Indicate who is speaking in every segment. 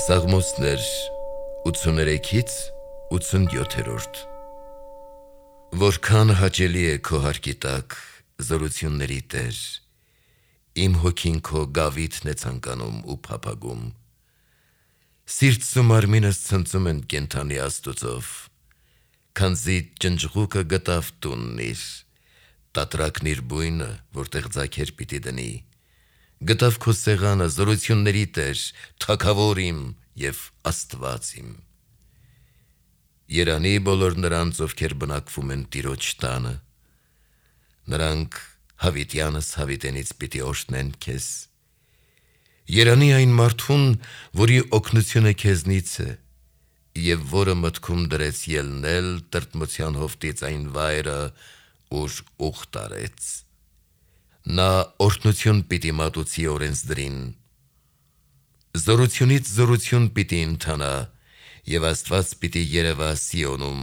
Speaker 1: Սաղմոսներ 83-ից 87-րդ Որքան հաճելի է քո հարկի տակ զորությունների Տեր, իմ հոգին քո գավիթն է ցանկանում ու փափագում, սիրտս ու մարմինս ցնծում են կենդանի Աստուծով, քանզի ջնջղուկը գտավ տունն իր, տատրակն իր բույնը, որտեղ ձագեր պիտի դնի, գտավ քո սեղանը զորությունների Տեր, թագավոր իմ և Աստված իմ։ Երանի բոլոր նրանց, ովքեր բնակվում են Տիրոջ տանը, նրանք հավիտյանս հավիտենից պիտի օրհնեն քեզ։ Երանի այն մարդուն, որի օգնությունը քեզնից է, և որը մտքում դրեց ելնել տրտմության հովտից այն վայրը, ուր ուխտ արեց։ Նա օրհնություն պիտի մատուցի օրենսդրին, զորությունից զորություն պիտի ընթանա, և Աստված պիտի երևա Սիոնում։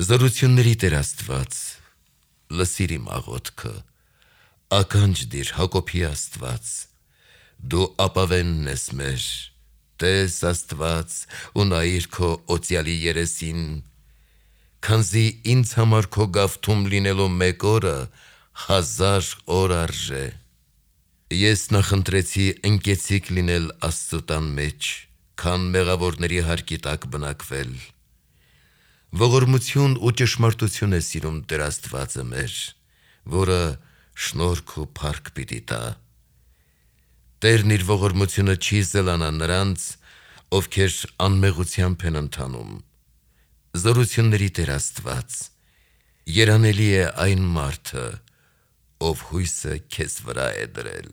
Speaker 1: Զորությունների Տեր Աստված, լսիր իմ աղոթքը, ականջ դիր Հակոբի Աստված, դու ապավենն ես մեր, տես Աստված ու նայիր քո օծյալի երեսին, քանզի ինձ համար քո գավթում լինելու մեկ օրը 1000 օր արժե։ Ես նախընտրեցի ընկեցիկ լինել Աստծու տան մեջ, քան մեղավորների հարկի տակ բնակվել։ Ողորմություն ու ճշմարտություն է սիրում Տեր Աստվածը մեր, որը շնորհք ու փառք պիտի տա։ Տերն իր ողորմությունը չի զլանա նրանց, ովքեր անմեղությամբ են ընթանում։ Զորությունների Տեր Աստված, երանելի է այն մարդը, ով հույսը քեզ վրա է դրել։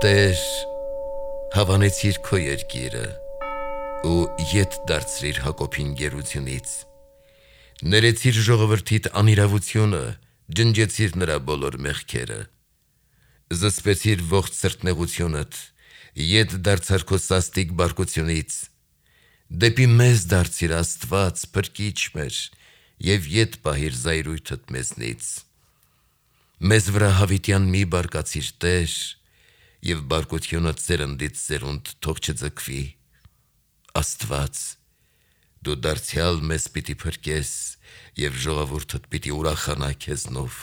Speaker 1: Տեր, հավանեցիր քո երկիրը ու ետ դարձրիր Հակոբին գերությունից, ներեցիր ժողովրդիդ անիրավությունը, ջնջեցիր նրա բոլոր մեղքերը, զսպեցիր ողջ սրտնեղությունդ, ետ դարձար քո սաստիկ բարկությունից, դեպի մեզ դարձիր Աստված, փրկիչ մեր, և ետ պահիր զայրույթդ մեզնից։ Մեզ վրա հավիտյան մի բարկացիր Տեր, և բարկությունը սերնդից սերունդ թող չձգվի։ Աստված, դու դարձյալ մեզ պիտի փրկես, և ժողովուրդդ պիտի ուրախանա քեզնով։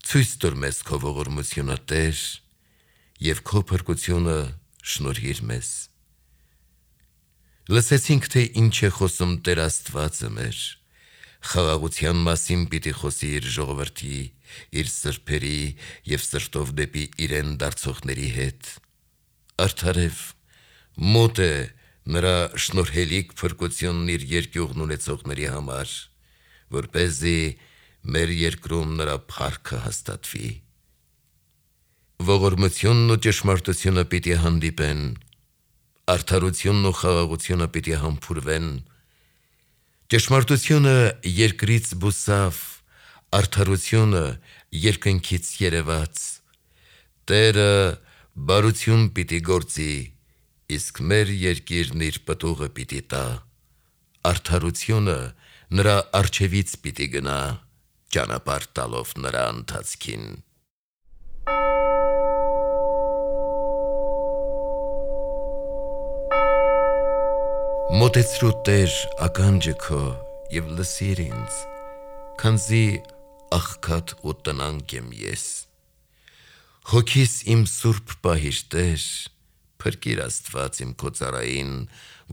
Speaker 1: Ցույց տուր մեզ քո ողորմությունը Տեր, և քո փրկությունը շնորհիր մեզ։ Լսեցինք, թե ինչ է խոսում Տեր Աստվածը մեր, խաղաղության մասին պիտի խոսի իր ժողովրդի, իր սրբերի և սրտով դեպի իրեն դարձողների հետ։ Արդարև, մոտ է նրա շնորհելիք փրկությունն իր երկյուղն ունեցողների համար, որպեսզի մեր երկրում նրա փառքը հաստատվի։ Ողորմությունն ու ճշմարտությունը պիտի հանդիպեն, արդարությունն ու խաղաղությունը պիտի համբուրվեն։ Ճշմարտությունը երկրից բուսավ, արդարությունը երկնքից երևաց։ Տերը բարություն պիտի գործի, իսկ մեր երկիրն իր պտուղը պիտի տա։ Արդարությունը նրա առջևից պիտի գնա, ճանապարհ տալով նրա ընթացքին։ Մոտեցրու Տեր ականջը քո և լսիր ինձ, քանզի աղքատ ու տնանկ եմ ես։ Հոգիս իմ սուրբ պահիր Տեր, փրկիր Աստված իմ քո ծառային,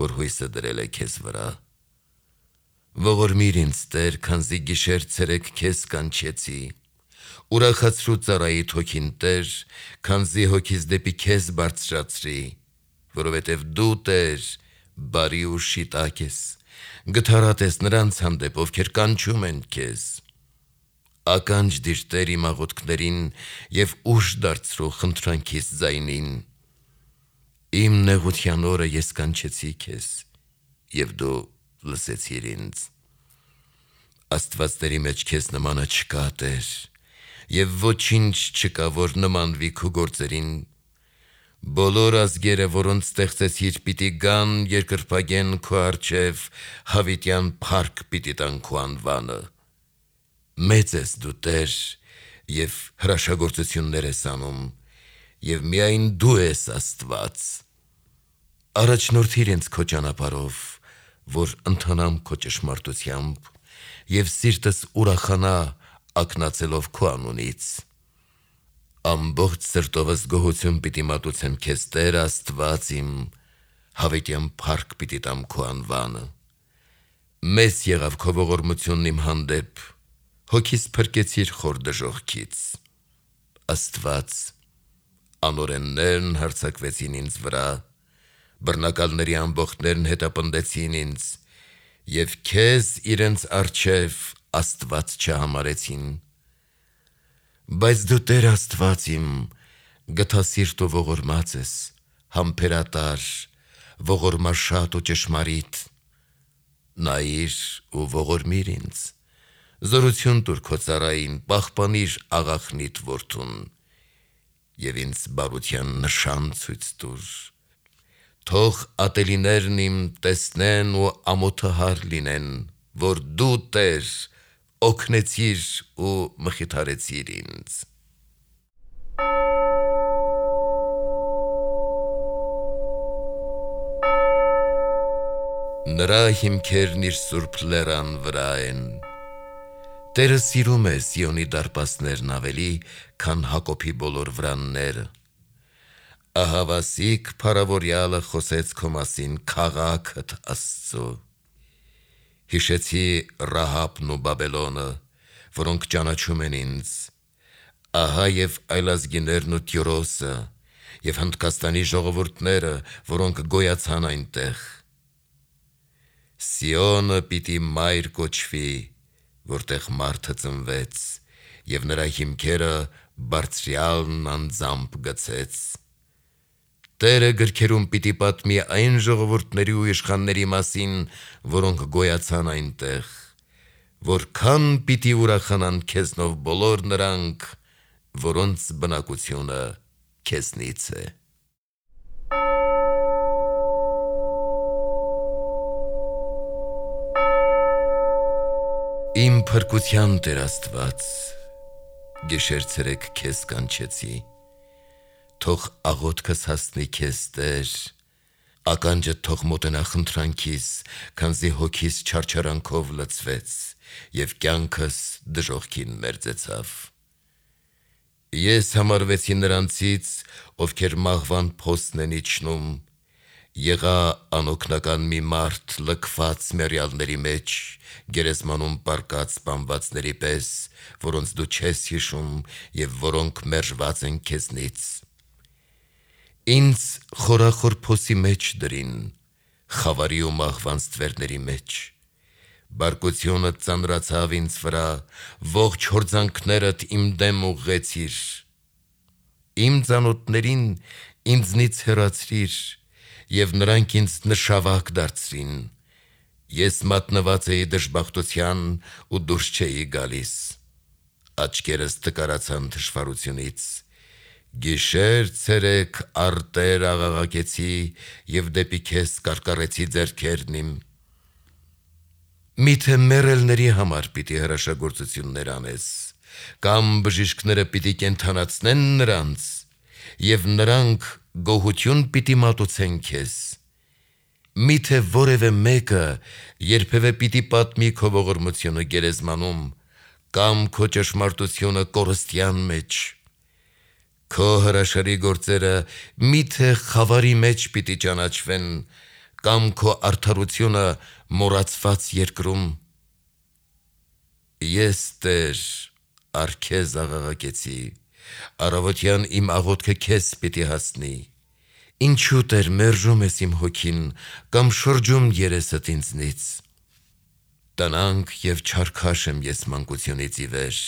Speaker 1: որ հույսը դրել է քեզ վրա։ Ողորմիր ինձ Տեր, քանզի գիշեր ցերեկ քեզ կանչեցի։ Ուրախացրու ծառայիդ հոգին Տեր, քանզի հոգիս դեպի քեզ բարձրացրի, որովհետև դու Տեր բարի ու շիտակ ես, գթառատ ես նրանց հանդեպ, ովքեր կանչում են քեզ։ Ականջ դիր Տեր իմ աղոթքներին և ուժ դարձրու խնդրանքիս ձայնին։ Իմ նեղության օրը ես կանչեցի քեզ, և դու լսեցիր ինձ։ Աստվածների մեջ քեզ նմանը չկա Տեր, և ոչինչ չկա, որ նմանվի քո գործերին։ Բոլոր ազգերը, որոնց ստեղծեցիր, պիտի գան, երկրպագեն քո առջև, հավիտյան փառք պիտի տան քո անվանը։ մեծ ես դու Տեր և հրաշագործություններ ես անում և միայն դու ես Աստված։ Առաջնորդիր ինձ քո ճանապարհով, որ ընթանամ քո ճշմարտությամբ և սիրտս ուրախանա ակնածելով քո անունից։ Ամբողջ սրտովս գոհություն պիտի մատուցեմ քեզ Տեր Աստված իմ, հավիտյան փառք պիտի տամ քո անվանը։ Մեծ եղավ քո ողորմությունն իմ հանդեպ, հոգիս փրկեցիր խոր դժոխքից։ Աստված, անօրեններն հարձակվեցին ինձ վրա, բռնակալների ամբոխներն հետապնդեցին ինձ և քեզ իրենց առջև Աստված չհամարեցին։ Բայց դու Տեր Աստված իմ, գթասիրտ ու ողորմած ես, համբերատար, ողորմաշատ ու ճշմարիտ։ Նայիր ու ողորմիր ինձ, զորություն տուր քո ծառային, պահպանիր աղախնիդ որդուն և ինձ բարության նշան ցույց տուր։ Թող ատելիներն իմ տեսնեն ու ամոթահար լինեն, որ դու Տեր օգնեցիր ու մխիթարեցիր ինձ։ Նրա հիմքերն իր սուրբ լեռան վրա են։ Տերը սիրում է Սիոնի դարպասներն ավելի, քան Հակոբի բոլոր վրանները։ Ահավասիկ փառավորյալը խոսեց քո մասին քաղաքդ Աստծո։ Հիշեցի Ռահաբն ու Բաբելոնը, որոնք ճանաչում են ինձ։ Ահա և այլազգիներն ու Տիրոսը, և Հնդկաստանի ժողովուրդները, որոնք գոյացան այնտեղ։ Սիոնը պիտի մայր կոչվի, որտեղ մարդը ծնվեց, և նրա հիմքերը Բարձրյալն անձամբ գցեց։ Տերը գրքերում պիտի պատմի այն ժողովուրդների ու իշխանների մասին, որոնք գոյացան այնտեղ, որքան պիտի ուրախանան քեզնով բոլոր նրանք, որոնց բնակությունը քեզնից է։ Իմ փրկության Տեր Աստված, գիշեր-ցերեկ քեզ կանչեցի, թող աղոթքս հասնի քեզ Տեր, ականջդ թող մոտենա խնդրանքիս, քանզի հոգիս չարչարանքով լցվեց և կյանքս դժոխքին մերձեցավ։ Ես համարվեցի նրանցից, ովքեր մահվան փոսն են իջնում, եղա անօգնական մի մարդ լքված մեռյալների մեջ, գերեզմանում պառկած սպանվածների պես, որոնց դու չես հիշում և որոնք մերժված են քեզնից։ Ինձ խորախոր փոսի մեջ դրին, խավարի ու մահվան ստվերների մեջ։ Բարկությունը ծանրացավ ինձ վրա, ողջ հորձանքներդ իմ դեմ ուղղեցիր։ Իմ ծանոթներին ինձնից հեռացրիր, և նրանք ինձ նշավակ դարձրին։ Ես մատնված էի դժբախտության ու դուրս չէի գալիս։ Աչքերս տկարացան թշվառությունից։ Գիշեր-ցերեկ արտեր աղաղակեցի և դեպի քեզ կարկառեցի ձեռքերն իմ։ Միթե մեռելների համար պիտի հրաշագործություններ անես, կամ բժիշկները պիտի կենդանացնեն նրանց, և նրանք գոհություն պիտի մատուցեն քեզ։ Միթե որևէ մեկը երբևէ պիտի պատմի քո ողորմությունը գերեզմանում, կամ քո ճշմարտությունը կորստյան մեջ։ Քո հրաշալի գործերը միթե խավարի մեջ պիտի ճանաչվեն, կամ քո արդարությունը մոռացված երկրում։ Ես Տեր առ քեզ աղաղակեցի, առավոտյան իմ աղոթքը քեզ պիտի հասնի։ Ինչու Տեր մերժում ես իմ հոգին, կամ շրջում երեսդ ինձնից։ Տնանք և չարքաշ եմ ես մանկությունից ի վեր,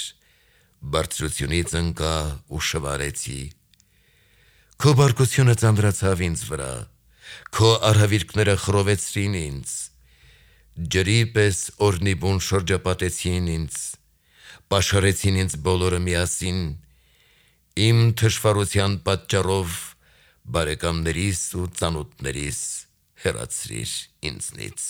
Speaker 1: բարձրությունից ընկա ու շվարեցի։ Քո բարկությունը ծանրացավ ինձ վրա, քո արհավիրքները խռովեցրին ինձ։ Ջրի պես օրհնի բուն շրջապատեցին ինձ, պաշարեցին ինձ բոլորը միասին։ Իմ թշվառության պատճառով բարեկամներիս ու ծանոթներիս հեռացրիր ինձնից։